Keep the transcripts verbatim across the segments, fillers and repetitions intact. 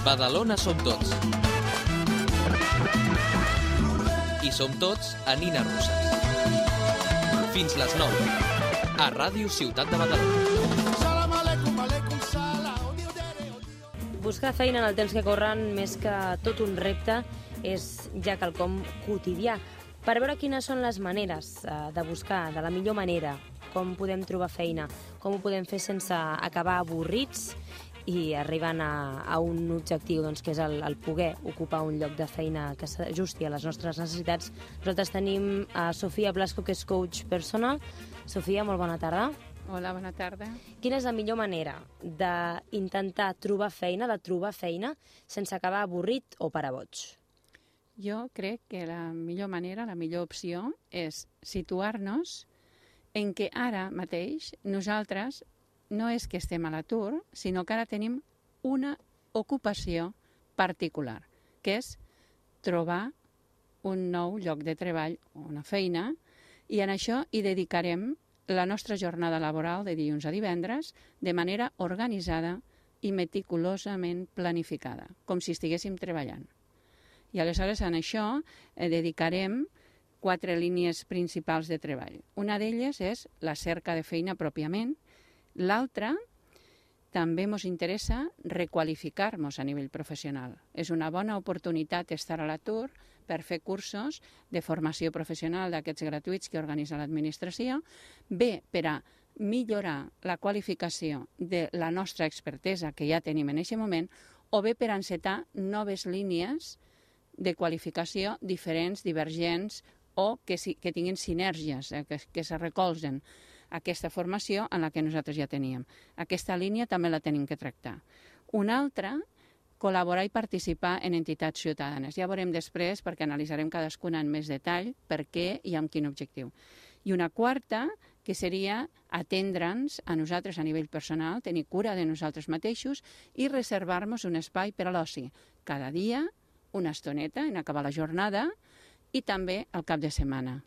Badalona som tots. I som tots a Nina Roses. Fins les nou, a Ràdio Ciutat de Badalona. Buscar feina en el temps que corren, més que tot un repte, és ja quelcom quotidià. Per veure quines són les maneres de buscar, de la millor manera, com podem trobar feina, com ho podem fer sense acabar avorrits i arribant a, a un objectiu, doncs, que és el, el poder ocupar un lloc de feina que s'ajusti a les nostres necessitats. Nosaltres tenim a Sofia Blasco, que és coach personal. Sofia, molt bona tarda. Hola, bona tarda. Quina és la millor manera d'intentar trobar feina, de trobar feina, sense acabar avorrit o per a boig? Jo crec que la millor manera, la millor opció, és situar-nos en què ara mateix nosaltres no és que estem a l'atur, sinó que ara tenim una ocupació particular, que és trobar un nou lloc de treball, una feina, i en això hi dedicarem la nostra jornada laboral de dilluns a divendres de manera organitzada i meticulosament planificada, com si estiguéssim treballant. I aleshores en això eh, dedicarem quatre línies principals de treball. Una d'elles és la cerca de feina pròpiament. L'altra, també ens interessa requalificar-nos a nivell professional. És una bona oportunitat estar a l'atur per fer cursos de formació professional d'aquests gratuïts que organitza l'administració, bé per a millorar la qualificació de la nostra expertesa que ja tenim en aquest moment, o bé per a encetar noves línies de qualificació diferents, divergents, o que, si, que tinguin sinergies, eh, que, que se recolzen aquesta formació en la que nosaltres ja teníem. Aquesta línia també la tenim que tractar. Una altra, col·laborar i participar en entitats ciutadanes. Ja veurem després, perquè analitzarem cadascuna en més detall, per què i amb quin objectiu. I una quarta, que seria atendre'ns a nosaltres a nivell personal, tenir cura de nosaltres mateixos i reservar-nos un espai per a l'oci. Cada dia, una estoneta en acabar la jornada i també al cap de setmana.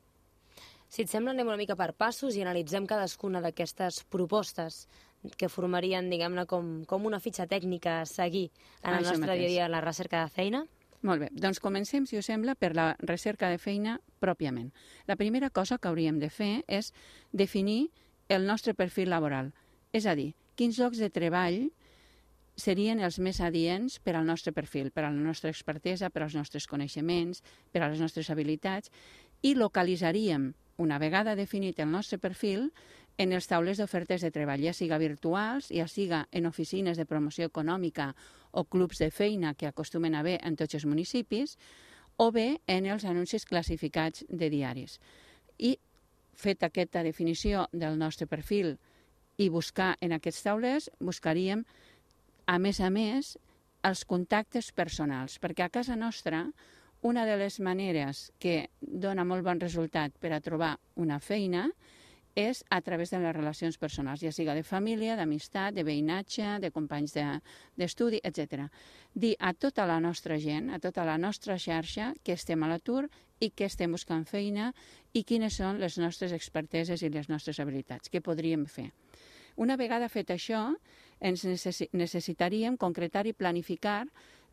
Si et sembla, anem una mica per passos i analitzem cadascuna d'aquestes propostes que formarien, diguem-ne, com, com una fitxa tècnica a seguir en el nostre dia a dia la recerca de feina. Molt bé, doncs comencem, si us sembla, per la recerca de feina pròpiament. La primera cosa que hauríem de fer és definir el nostre perfil laboral, és a dir, quins llocs de treball serien els més adients per al nostre perfil, per a la nostra expertesa, per als nostres coneixements, per a les nostres habilitats, i localitzaríem, una vegada definit el nostre perfil, en els taulers d'ofertes de treball, ja siga virtuals, ja siga en oficines de promoció econòmica o clubs de feina que acostumen a haver en tots els municipis, o bé en els anuncis classificats de diaris. I, fet aquesta definició del nostre perfil i buscar en aquests taulers, buscaríem a més a més, els contactes personals, perquè a casa nostra una de les maneres que dona molt bon resultat per a trobar una feina és a través de les relacions personals, ja siga de família, d'amistat, de veïnatge, de companys d'estudi, etcètera. Dir a tota la nostra gent, a tota la nostra xarxa, que estem a l'atur i que estem buscant feina i quines són les nostres experteses i les nostres habilitats, què podríem fer. Una vegada fet això, ens necessitaríem concretar i planificar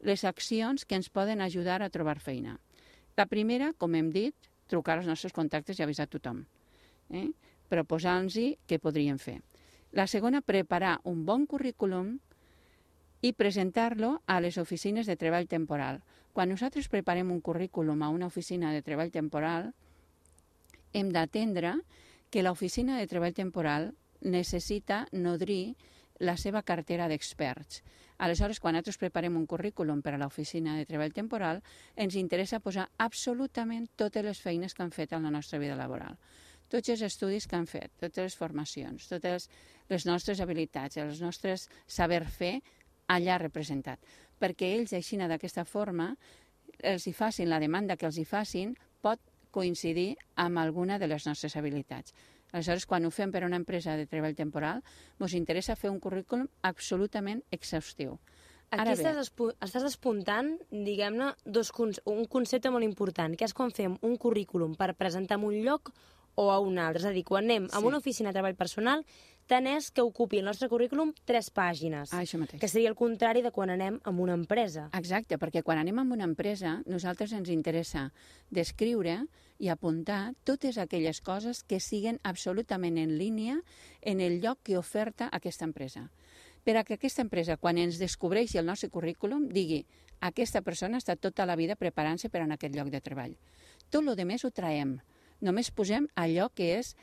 les accions que ens poden ajudar a trobar feina. La primera, com hem dit, trucar als nostres contactes i avisar a tothom, eh? proposant-los què podríem fer. La segona, preparar un bon currículum i presentar-lo a les oficines de treball temporal. Quan nosaltres preparem un currículum a una oficina de treball temporal, hem d'atendre que l'oficina de treball temporal necessita nodrir la seva cartera d'experts. Aleshores, quan nosaltres preparem un currículum per a l'oficina de treball temporal, ens interessa posar absolutament totes les feines que han fet en la nostra vida laboral. Tots els estudis que han fet, totes les formacions, totes les nostres habilitats, els nostres saber fer allà representat. Perquè ells, així, d'aquesta forma, els hi facin, la demanda que els hi facin pot coincidir amb alguna de les nostres habilitats. Aleshores, quan ho fem per a una empresa de treball temporal, ens interessa fer un currículum absolutament exhaustiu. Aquí estàs, estàs despuntant, diguem-ne, un concepte molt important, que és quan fem un currículum per presentar en un lloc o a un altre. És a dir, quan anem sí. a una oficina de treball personal, tant és que ocupi el nostre currículum tres pàgines, Ah, això mateix. que seria el contrari de quan anem a una empresa. Exacte, perquè quan anem a una empresa, nosaltres ens interessa descriure i apuntar totes aquelles coses que siguen absolutament en línia en el lloc que oferta aquesta empresa. Per a que aquesta empresa, quan ens descobreixi el nostre currículum, digui aquesta persona ha estat tota la vida preparant-se per a aquest lloc de treball. Tot el que més ho traiem. Només posem allò que és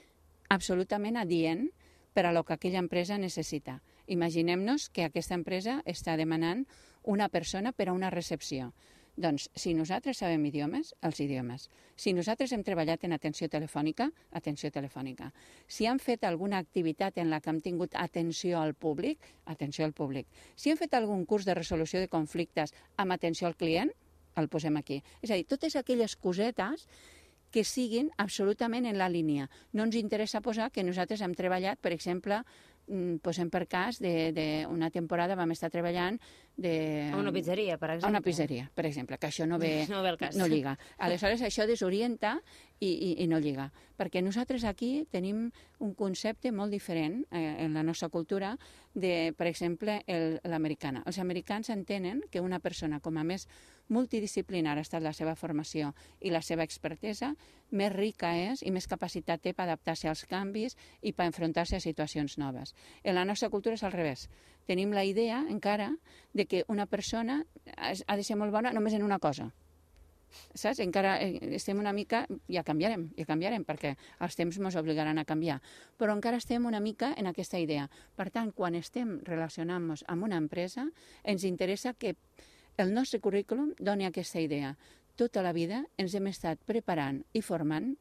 absolutament adient per a lo que aquella empresa necessita. Imaginem-nos que aquesta empresa està demanant una persona per a una recepció. Doncs, si nosaltres sabem idiomes, els idiomes. Si nosaltres hem treballat en atenció telefònica, atenció telefònica. Si hem fet alguna activitat en la que hem tingut atenció al públic, atenció al públic. Si hem fet algun curs de resolució de conflictes amb atenció al client, el posem aquí. És a dir, totes aquelles cosetes que siguin absolutament en la línia. No ens interessa posar que nosaltres hem treballat, per exemple, posem per cas d'una temporada vam estar treballant de... A una pizzeria, per exemple. A una pizzeria, per exemple, que això no ve, no ve el cas. No lliga. Aleshores, això desorienta i, i, i no lliga. Perquè nosaltres aquí tenim un concepte molt diferent eh, en la nostra cultura de, per exemple, l'americana. Els americans entenen que una persona, com a més multidisciplinar ha estat la seva formació i la seva expertesa, més rica és i més capacitat té per adaptar-se als canvis i per enfrontar-se a situacions noves. En la nostra cultura és al revés. Tenim la idea, encara, de que una persona ha de ser molt bona només en una cosa. Saps? Encara estem una mica... Ja canviarem, ja canviarem, perquè els temps ens obligaran a canviar. Però encara estem una mica en aquesta idea. Per tant, quan estem relacionant-nos amb una empresa, ens interessa que el nostre currículum doni aquesta idea. Tota la vida ens hem estat preparant i formant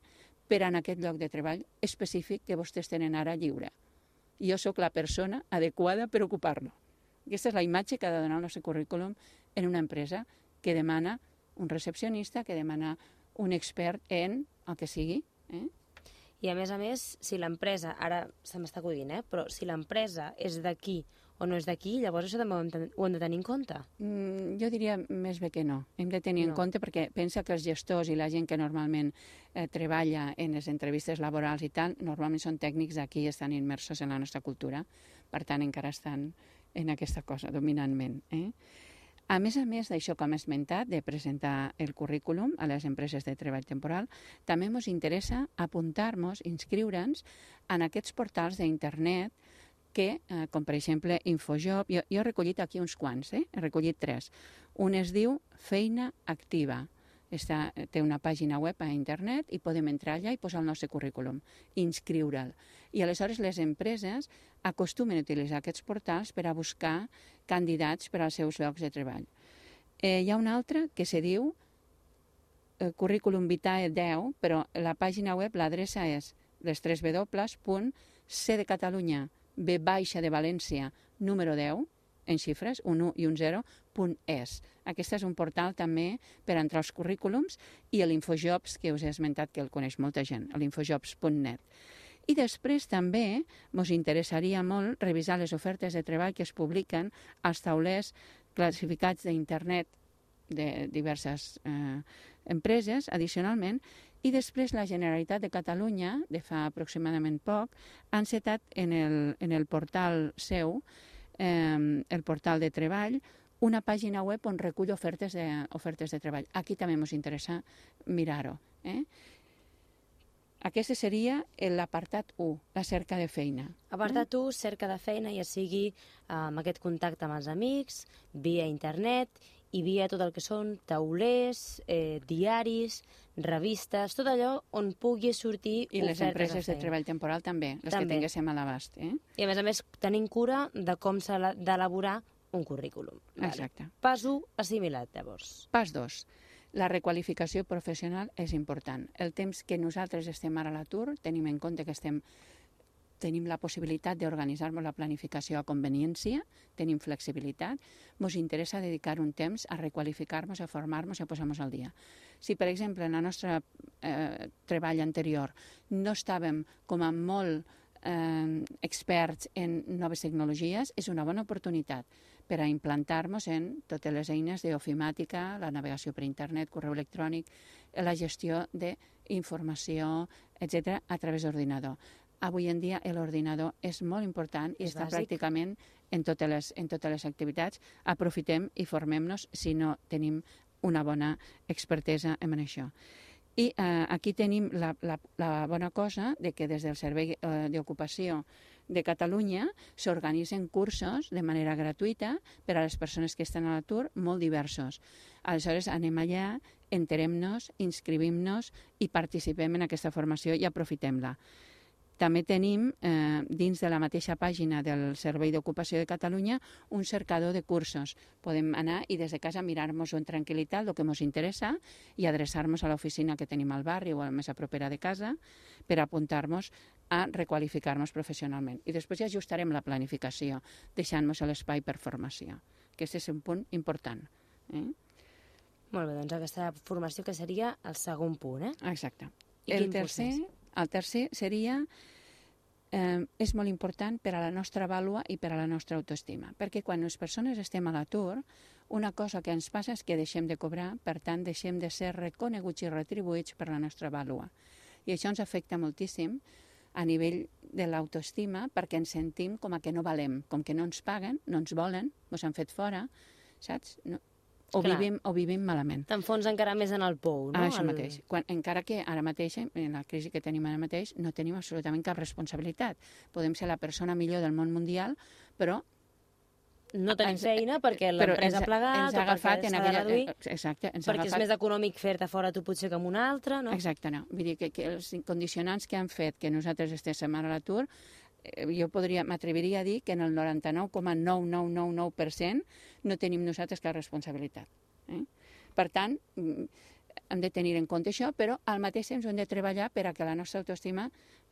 per a aquest lloc de treball específic que vostès tenen ara lliure. Jo sóc la persona adequada per ocupar-lo. Aquesta és la imatge que ha de donar el nostre currículum en una empresa que demana un recepcionista, que demana un expert en el que sigui. Eh? I a més a més, si l'empresa, ara se m'està acudint, eh? però si l'empresa és d'aquí o no és d'aquí, llavors això també ho hem de tenir en compte. Mm, jo diria més bé que no. Hem de tenir no. en compte perquè pensa que els gestors i la gent que normalment eh, treballa en les entrevistes laborals i tal, normalment són tècnics d'aquí i estan immersos en la nostra cultura. Per tant, encara estan en aquesta cosa, dominantment. Eh? A més a més d'això que hem esmentat, de presentar el currículum a les empreses de treball temporal, també ens interessa apuntar-nos, inscriure'ns en aquests portals d'internet que, eh, com per exemple Infojob, jo, jo he recollit aquí uns quants, eh? he recollit tres. Un es diu Feina Activa. Està, té una pàgina web a internet i podem entrar allà i posar el nostre currículum, inscriure'l. I aleshores les empreses acostumen a utilitzar aquests portals per a buscar candidats per als seus llocs de treball. Eh, hi ha un altre que se diu eh, Currículum Vitae deu, però la pàgina web, l'adreça és les tres w punt c de Catalunya, B baixa de València, número deu, en xifres, un u i un zero, punt es. Aquest és un portal també per entrar als currículums i l'Infojobs, que us he esmentat que el coneix molta gent, l'infojobs punt net. I després també ens interessaria molt revisar les ofertes de treball que es publiquen als taulers classificats d'internet de diverses eh, empreses, addicionalment, i després la Generalitat de Catalunya, de fa aproximadament poc, ha encetat en el, en el portal seu, eh, el portal de treball, una pàgina web on recull ofertes de, ofertes de treball. Aquí també ens interessa mirar-ho. Eh? Aquest seria l'apartat u, la cerca de feina. Apartat u, cerca de feina, ja sigui amb aquest contacte amb els amics, via internet i via tot el que són taulers, eh, diaris, revistes, tot allò on pugui sortir I les empreses de, de treball temporal també, les també. que tinguéssim a l'abast. Eh? I a més a més tenint cura de com s'ha d'elaborar un currículum. Exacte. Vale. Pas u, assimilat, llavors. Pas dos. La requalificació professional és important. El temps que nosaltres estem ara a l'atur, tenim en compte que estem, tenim la possibilitat d'organitzar-nos la planificació a conveniència, tenim flexibilitat, ens interessa dedicar un temps a requalificar-nos, a formar-nos i a posar-nos al dia. Si, per exemple, en el nostre eh, treball anterior no estàvem com a molt eh, experts en noves tecnologies, és una bona oportunitat per a implantar-nos en totes les eines d'ofimàtica, la navegació per internet, correu electrònic, la gestió d'informació, etcètera, a través d'ordinador. avui en dia l'ordinador és molt important i És està bàsic. pràcticament en totes les, en totes les activitats. Aprofitem i formem-nos si no tenim una bona expertesa en això. I eh, aquí tenim la, la, la bona cosa de que des del Servei eh, d'Ocupació de Catalunya s'organitzen cursos de manera gratuïta per a les persones que estan a l'atur, molt diversos. Aleshores anem allà, enterem-nos, inscrivim-nos i participem en aquesta formació i aprofitem-la. També tenim, eh, dins de la mateixa pàgina del Servei d'Ocupació de Catalunya, un cercador de cursos. Podem anar i des de casa mirar-nos-ho en tranquil·litat, el que ens interessa, i adreçar-nos a l'oficina que tenim al barri o a la més a propera de casa per apuntar-nos a requalificar-nos professionalment. I després ja ajustarem la planificació, deixant-nos l'espai per formació. Aquest és un punt important. Eh? Molt bé, doncs aquesta formació que seria el segon punt, eh? Exacte. I El quin tercer, procés? el tercer seria, eh, és molt important per a la nostra vàlua i per a la nostra autoestima, perquè quan les persones estem a l'atur, una cosa que ens passa és que deixem de cobrar, per tant, deixem de ser reconeguts i retribuïts per la nostra vàlua. I això ens afecta moltíssim a nivell de l'autoestima perquè ens sentim com a que no valem, com que no ens paguen, no ens volen, ens han fet fora, saps? No. O Clar. vivim, o vivim malament. T'enfons encara més en el pou, no? Ah, això el... mateix. Quan, encara que ara mateix, en la crisi que tenim ara mateix, no tenim absolutament cap responsabilitat. Podem ser la persona millor del món mundial, però... No tenim ens- feina perquè però l'empresa ens- ha plegat ens ha o agafat perquè en s'ha de aquella- reduir, Exacte, ens ha perquè és agafat... més econòmic fer-te fora tu potser que amb un altre, no? Exacte, no. Vull dir que, que els condicionants que han fet que nosaltres estéssim ara a l'atur, eh, jo podria, m'atreviria a dir que en el noranta-nou coma nou nou nou nou per cent no tenim nosaltres cap responsabilitat. Eh? Per tant, mm, hem de tenir en compte això, però al mateix temps hem de treballar per a que la nostra autoestima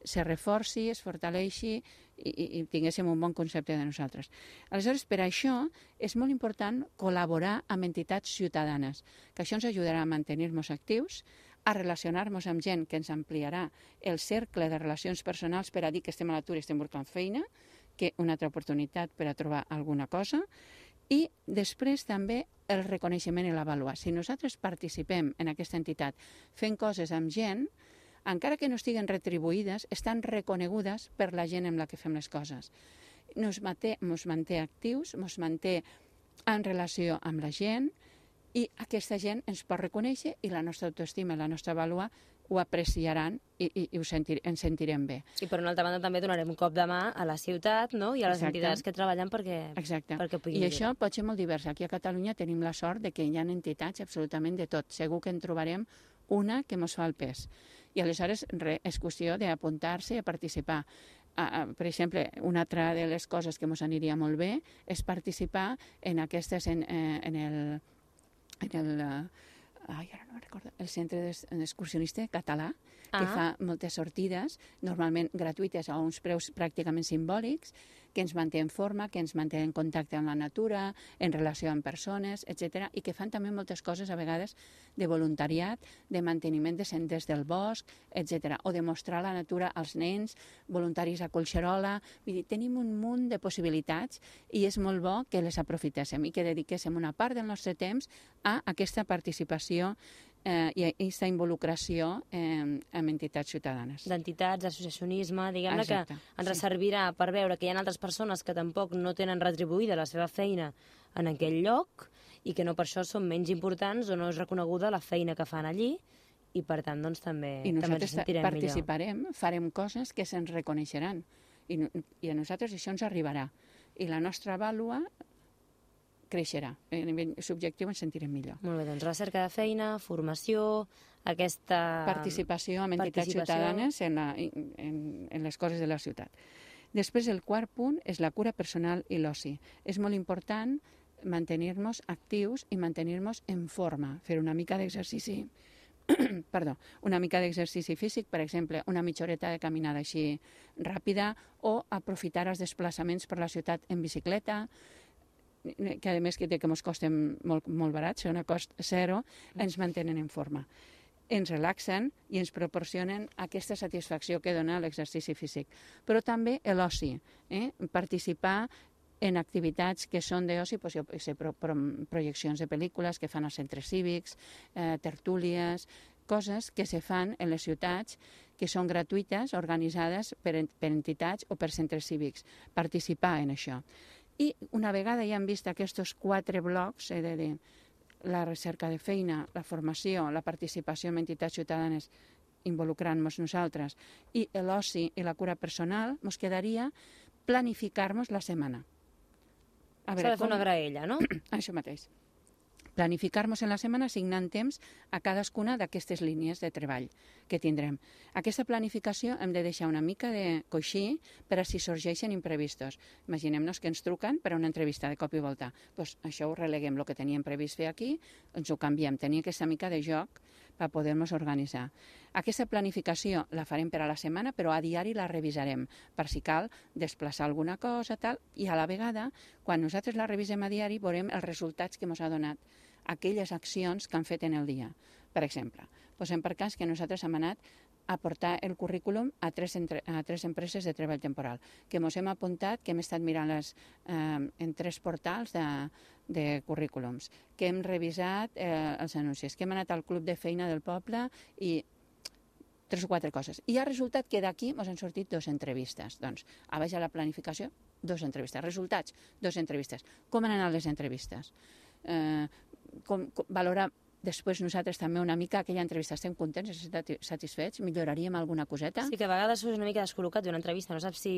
se reforci, es fortaleixi i, i, i tinguéssim un bon concepte de nosaltres. Aleshores, per això és molt important col·laborar amb entitats ciutadanes, que això ens ajudarà a mantenir-nos actius, a relacionar-nos amb gent que ens ampliarà el cercle de relacions personals per a dir que estem a l'atur i estem buscant feina, que una altra oportunitat per a trobar alguna cosa, i després també el reconeixement i l'avaluar. Si nosaltres participem en aquesta entitat fent coses amb gent, encara que no estiguen retribuïdes, estan reconegudes per la gent amb la que fem les coses. Nos manté, nos manté actius, ens manté en relació amb la gent i aquesta gent ens pot reconèixer i la nostra autoestima i la nostra vàlua ho apreciaran i, i, i ho sentir, ens sentirem bé. I per una altra banda també donarem un cop de mà a la ciutat, no? I a les Exacte. entitats que treballen perquè, Exacte. perquè I puguin això pot ser molt divers. Aquí a Catalunya tenim la sort de que hi ha entitats absolutament de tot. Segur que en trobarem una que ens fa el pes. I aleshores re, és qüestió d'apuntar-se i a participar. Uh, uh, per exemple, una altra de les coses que ens aniria molt bé és participar en aquestes, en, eh, en el... En el uh, ai, ara no me'n recordo, el Centre d'Excursionista Català, que Ah. fa moltes sortides, normalment gratuïtes a uns preus pràcticament simbòlics, que ens manté en forma, que ens manté en contacte amb la natura, en relació amb persones, etcètera, i que fan també moltes coses a vegades de voluntariat, de manteniment de senders del bosc, etcètera, o de mostrar la natura als nens, voluntaris a Collserola. Vull dir, tenim un munt de possibilitats i és molt bo que les aprofitéssim i que dediquéssim una part del nostre temps a aquesta participació eh, i a aquesta involucració eh, amb entitats ciutadanes. d'entitats, d'associacionisme, diguem-ne que Exacte, ens sí. servirà per veure que hi ha altres persones que tampoc no tenen retribuïda la seva feina en aquell lloc i que no per això són menys importants o no és reconeguda la feina que fan allí i per tant doncs també, I també ens nosaltres sentirem participarem, farem coses que se'ns reconeixeran i, no- i a nosaltres això ens arribarà i la nostra vàlua creixerà. A nivell subjectiu ens sentirem millor. millor. Molt bé, doncs recerca de feina, formació, aquesta... Participació amb entitats participació. ciutadanes en, la, en, en les coses de la ciutat. Després, el quart punt és la cura personal i l'oci. És molt important mantenir-nos actius i mantenir-nos en forma, fer una mica d'exercici perdó, una mica d'exercici físic, per exemple, una mitja horeta de caminada així ràpida o aprofitar els desplaçaments per la ciutat en bicicleta, que a més que, que ens costen molt, molt barats, són a cost zero, ens mantenen en forma. Ens relaxen i ens proporcionen aquesta satisfacció que dona l'exercici físic. Però també l'oci, eh? Participar en activitats que són d'oci, doncs, jo sé, pro, pro, projeccions de pel·lícules que fan als centres cívics, eh, tertúlies, coses que se fan en les ciutats que són gratuïtes, organitzades per, per entitats o per centres cívics. Participar en això. I una vegada ja hem vist aquests quatre blocs, he de dir, la recerca de feina, la formació, la participació en entitats ciutadanes involucrant-nos nosaltres i l'oci i la cura personal, ens quedaria planificar-nos la setmana. S'ha de fer una graella, no? Això mateix. Planificar-nos en la setmana assignant temps a cadascuna d'aquestes línies de treball que tindrem. Aquesta planificació hem de deixar una mica de coixí per a si sorgeixen imprevistos. Imaginem-nos que ens truquen per a una entrevista de cop i volta. Pues això ho releguem, el que teníem previst fer aquí, ens ho canviem. Tenir aquesta mica de joc per poder-nos organitzar. Aquesta planificació la farem per a la setmana, però a diari la revisarem, per si cal desplaçar alguna cosa, tal, i a la vegada, quan nosaltres la revisem a diari, veurem els resultats que ens ha donat aquelles accions que han fet en el dia. Per exemple, posem per cas que nosaltres hem anat a portar el currículum a tres, entre, a tres empreses de treball temporal, que ens hem apuntat, que hem estat mirant les, eh, en tres portals de, de currículums, que hem revisat eh, els anuncis, que hem anat al club de feina del poble i tres o quatre coses. I ha resultat que d'aquí ens han sortit dues entrevistes. Doncs, a baix a la planificació, dues entrevistes. Resultats, dues entrevistes. Com han anat les entrevistes? Eh, com, com, valorar després nosaltres també una mica aquella entrevista. Estem contents, estem satisfets? Milloraríem alguna coseta? Sí, que a vegades és una mica descol·locat d'una entrevista, no saps si,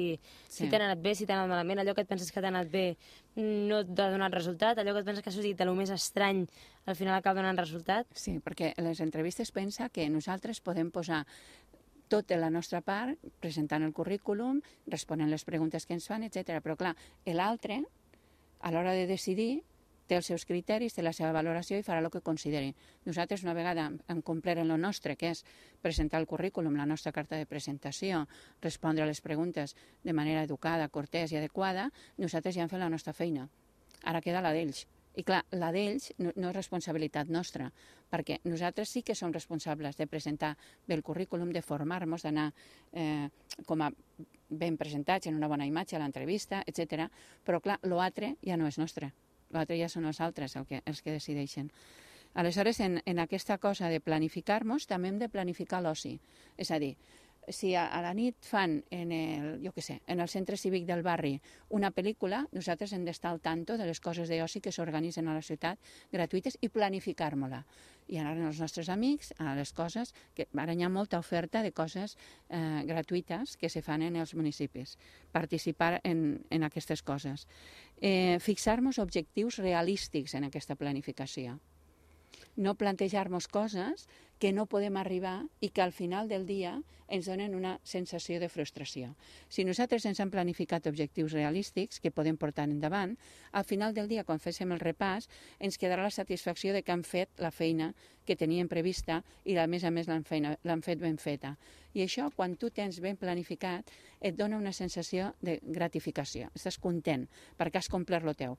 si sí. t'ha anat bé, si t'ha anat malament, allò que et penses que t'ha anat bé no t'ha donat resultat, allò que et penses que ha sortit de lo més estrany al final acaba donant resultat. Sí, perquè les entrevistes pensa que nosaltres podem posar tota la nostra part, presentant el currículum, responent les preguntes que ens fan, etcètera. Però clar, l'altre, a l'hora de decidir, té els seus criteris, té la seva valoració i farà el que consideri. Nosaltres, una vegada hem complert en el nostre, que és presentar el currículum, la nostra carta de presentació, respondre a les preguntes de manera educada, cortès i adequada, nosaltres ja hem fet la nostra feina. Ara queda la d'ells. I clar, la d'ells no, no és responsabilitat nostra, perquè nosaltres sí que som responsables de presentar bé el currículum, de formar-nos, d'anar eh, com a ben presentats en una bona imatge a l'entrevista, etcètera. Però clar, l'altre ja no és nostre. L'altre ja són els altres el que, els que decideixen. Aleshores, en, en aquesta cosa de planificar-nos, també hem de planificar l'oci. És a dir, si a, a la nit fan en el, jo què sé, en el centre cívic del barri una pel·lícula, nosaltres hem d'estar al tanto de les coses d'oci que s'organitzen a la ciutat gratuïtes i planificar-nos-la. I anar amb els nostres amics a les coses, que ara hi ha molta oferta de coses eh, gratuïtes que se fan en els municipis. Participar en, en aquestes coses. Eh, fixar-nos objectius realístics en aquesta planificació. No plantejar-nos coses que no podem arribar i que al final del dia ens donen una sensació de frustració. Si nosaltres ens hem planificat objectius realístics que podem portar endavant, al final del dia, quan féssim el repàs, ens quedarà la satisfacció de que hem fet la feina que teníem prevista i a més a més l'hem fet ben feta. I això, quan tu tens ben planificat, et dona una sensació de gratificació. Estàs content perquè has complert lo teu.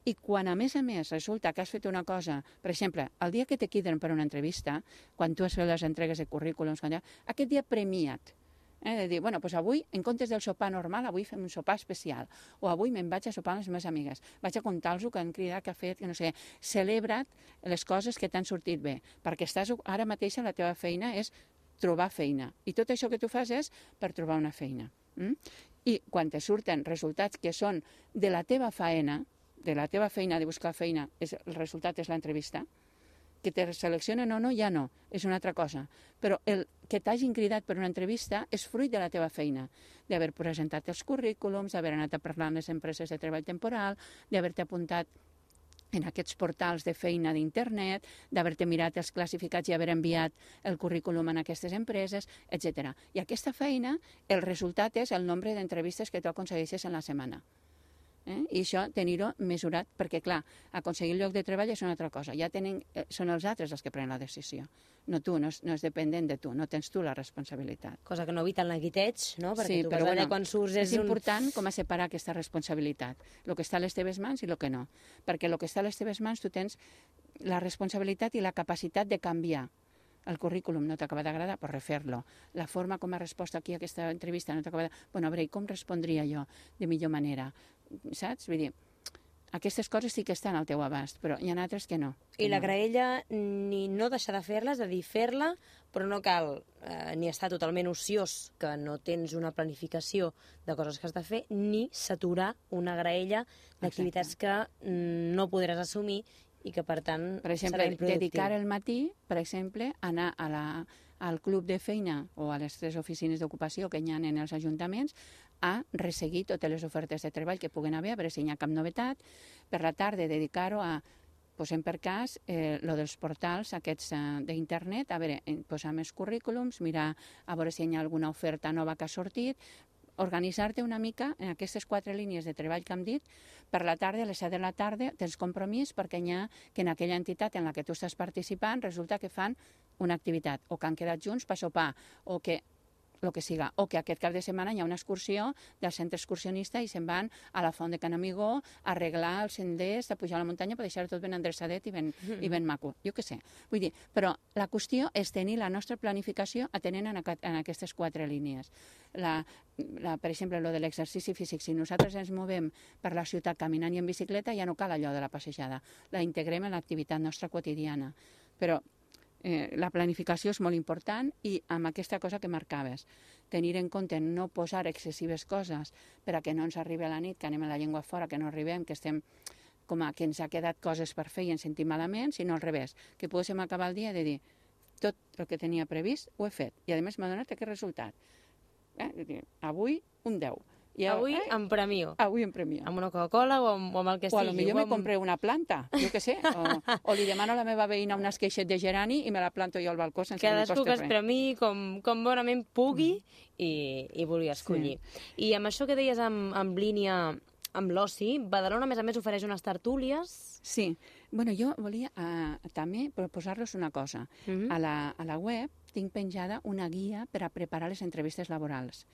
I quan, a més a més, resulta que has fet una cosa, per exemple, el dia que te queden per una entrevista, quan tu has fet les entregues de currículums, ja, aquest dia premiat, eh, de dir, bueno, doncs avui, en comptes del sopar normal, avui fem un sopar especial, o avui me'n vaig a sopar amb les meves amigues, vaig a contar-los que han cridat, que ha fet, que no sé, celebra't les coses que t'han sortit bé, perquè estàs, ara mateix la teva feina és trobar feina, i tot això que tu fas és per trobar una feina. Mm? I quan te surten resultats que són de la teva faena, de la teva feina, de buscar feina, és, el resultat és l'entrevista, que te seleccionen o no, ja no, és una altra cosa. Però el que t'hagin cridat per una entrevista és fruit de la teva feina, d'haver presentat els currículums, d'haver anat a parlar amb les empreses de treball temporal, d'haver-te apuntat en aquests portals de feina d'internet, d'haver-te mirat els classificats i haver enviat el currículum a aquestes empreses, etcètera. I aquesta feina, el resultat és el nombre d'entrevistes que tu aconsegueixes en la setmana. Eh? I això tenir-ho mesurat, perquè clar, aconseguir el lloc de treball és una altra cosa, ja tenen, eh, són els altres els que prenen la decisió, no tu, no és, no és dependent de tu, no tens tu la responsabilitat. Cosa que no evita el neguiteig, no? Perquè sí, tu però vas bueno, allà quan surts és, és un... important com a separar aquesta responsabilitat, el que està a les teves mans i el que no, perquè el que està a les teves mans tu tens la responsabilitat i la capacitat de canviar. El currículum no t'acaba d'agradar, pues refer-lo. La forma com ha respost aquí a aquesta entrevista no t'acaba de... Bueno, a veure, com respondria jo de millor manera? Saps? Vull dir, aquestes coses sí que estan al teu abast, però hi ha altres que no. Que I la no. graella ni no deixar de fer-la, és a dir, fer-la, però no cal eh, ni estar totalment ociós, que no tens una planificació de coses que has de fer, ni saturar una graella d'activitats que mm, no podràs assumir i que, per tant, Per exemple, serà improductiu. dedicar el matí, per exemple, anar a la, al club de feina o a les tres oficines d'ocupació que hi ha en els ajuntaments a resseguir totes les ofertes de treball que puguen haver, a veure si hi ha cap novetat. Per la tarda, dedicar-ho a, posem per cas, eh, lo dels portals aquests eh, d'internet, a veure, posar més currículums, mirar a veure si hi ha alguna oferta nova que ha sortit, organitzar-te una mica en aquestes quatre línies de treball que hem dit. Per la tarda, a les set de la tarda, tens compromís perquè hi ha que en aquella entitat en la que tu estàs participant resulta que fan una activitat, o que han quedat junts per sopar, o que el que siga, o que aquest cap de setmana hi ha una excursió del centre excursionista i se'n van a la font de Can Amigó a arreglar els senders, a pujar a la muntanya per deixar tot ben endreçadet i ben, mm. i ben maco, jo què sé. Vull dir, però la qüestió és tenir la nostra planificació atenent en, aquest, en aquestes quatre línies. La, la, per exemple, lo de l'exercici físic, si nosaltres ens movem per la ciutat caminant i en bicicleta, ja no cal allò de la passejada, la integrem en l'activitat nostra quotidiana. Però Eh, la planificació és molt important i amb aquesta cosa que marcaves, tenir en compte no posar excessives coses per a que no ens arribi a la nit, que anem a la llengua fora, que no arribem, que estem com a que ens ha quedat coses per fer i ens sentim malament, sinó al revés, que poguéssim acabar el dia de dir tot el que tenia previst ho he fet i a més m'ha donat aquest resultat. Eh? Avui un deu. I avui eh? en premio. Avui en premio. Amb una Coca-Cola o amb, o amb el que o sigui. O potser amb... me compré una planta, jo què sé. O, o li demano a la meva veïna un esqueixet de gerani i me la planto jo al balcó sense que em costi res. Cadascú que es premiï com, com bonament pugui mm. i, i vulgui escollir. Sí. I amb això que deies amb, amb línia amb l'oci, Badalona, a més a més, ofereix unes tertúlies. Sí. Bueno, jo volia uh, també proposar-los una cosa. Mm-hmm. a, la, a la web tinc penjada una guia per a preparar les entrevistes laborals,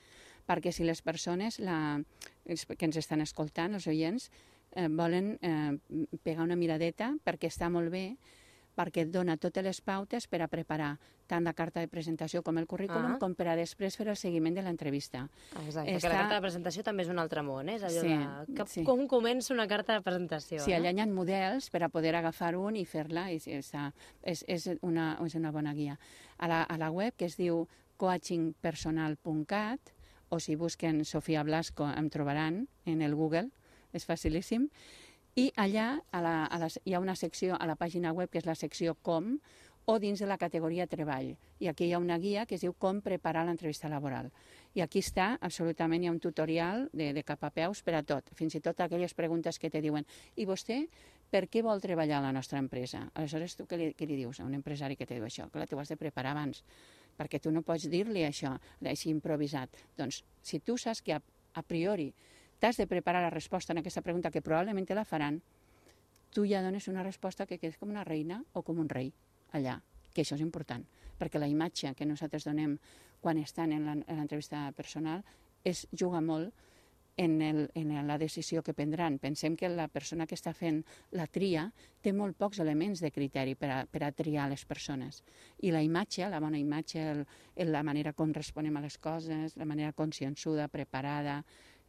perquè si les persones la, que ens estan escoltant, els oients, eh, volen eh, pegar una miradeta, perquè està molt bé, perquè et dona totes les pautes per a preparar tant la carta de presentació com el currículum, ah. com per a després fer el seguiment de l'entrevista. Exacte, està... que la carta de presentació també és un altre món, eh? És allò sí, de... Que, sí. Com comença una carta de presentació? Sí, eh? allà hi ha models per a poder agafar un i fer-la, i és, és, és, una, és una bona guia. A la, a la web, que es diu coaching personal punt cat, o si busquen Sofia Blasco em trobaran en el Google, és facilíssim. I allà a la, a la, hi ha una secció a la pàgina web que és la secció Com, o dins de la categoria Treball. I aquí hi ha una guia que es diu Com preparar l'entrevista laboral. I aquí està, absolutament, hi ha un tutorial de, de cap a peus per a tot, fins i tot aquelles preguntes que te diuen i vostè per què vol treballar a la nostra empresa? Aleshores, tu què li, què li dius a un empresari que te diu això? Clar, t'ho has de preparar abans, perquè tu no pots dir-li això, així improvisat. Doncs, si tu saps que a, a priori t'has de preparar la resposta en aquesta pregunta, que probablement te la faran, tu ja dones una resposta que quedes com una reina o com un rei allà, que això és important, perquè la imatge que nosaltres donem quan estan en l'entrevista personal és juga molt en, el, en la decisió que prendran. Pensem que la persona que està fent la tria té molt pocs elements de criteri per a, per a triar les persones. I la imatge, la bona imatge, el, el, la manera com responem a les coses, la manera consciençuda, preparada,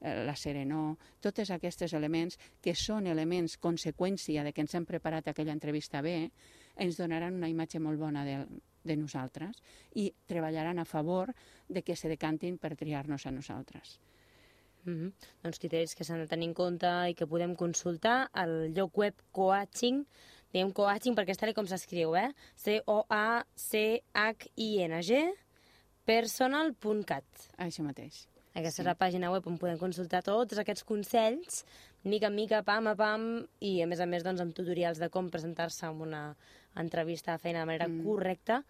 la serenor, tots aquests elements que són elements conseqüència de que ens hem preparat aquella entrevista bé, ens donaran una imatge molt bona de, de nosaltres i treballaran a favor de que se decantin per triar-nos a nosaltres. Mm-hmm. Doncs criteris que s'han de tenir en compte i que podem consultar al lloc web Coaching, diem Coaching perquè és tal com s'escriu, eh? C O A C H I N G personal punt cat. Això mateix. Aquesta sí. és la pàgina web on podem consultar tots aquests consells, mica en mica, pam a pam, i a més a més doncs, amb tutorials de com presentar-se en una entrevista de feina de manera mm. correcta,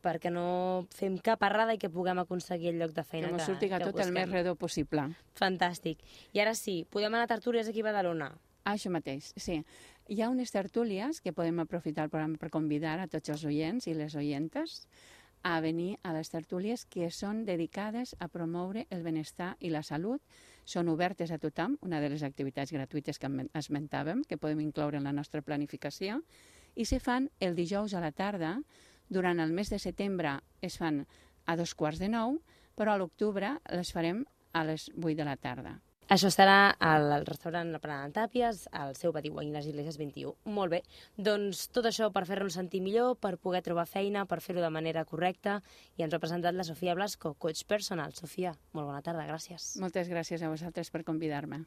perquè no fem cap errada i que puguem aconseguir el lloc de feina que, que, surti que tot busquem. El més redó possible. Fantàstic. I ara sí, podem anar a tertúlies aquí a Badalona. Ah, això mateix, sí. Hi ha unes tertúlies que podem aprofitar el programa per convidar a tots els oients i les oientes a venir a les tertúlies que són dedicades a promoure el benestar i la salut. Són obertes a tothom, una de les activitats gratuïtes que esmentàvem, que podem incloure en la nostra planificació, i se fan el dijous a la tarda. Durant el mes de setembre es fan a dos quarts de nou, però a l'octubre les farem a les vuit de la tarda. Això estarà al restaurant La Parada de Tàpies, al seu pati Guany les Iglesias vint-i-u. Molt bé, doncs tot això per fer-nos sentir millor, per poder trobar feina, per fer-ho de manera correcta, i ens ho ha presentat la Sofia Blasco, coach personal. Sofia, molt bona tarda, gràcies. Moltes gràcies a vosaltres per convidar-me.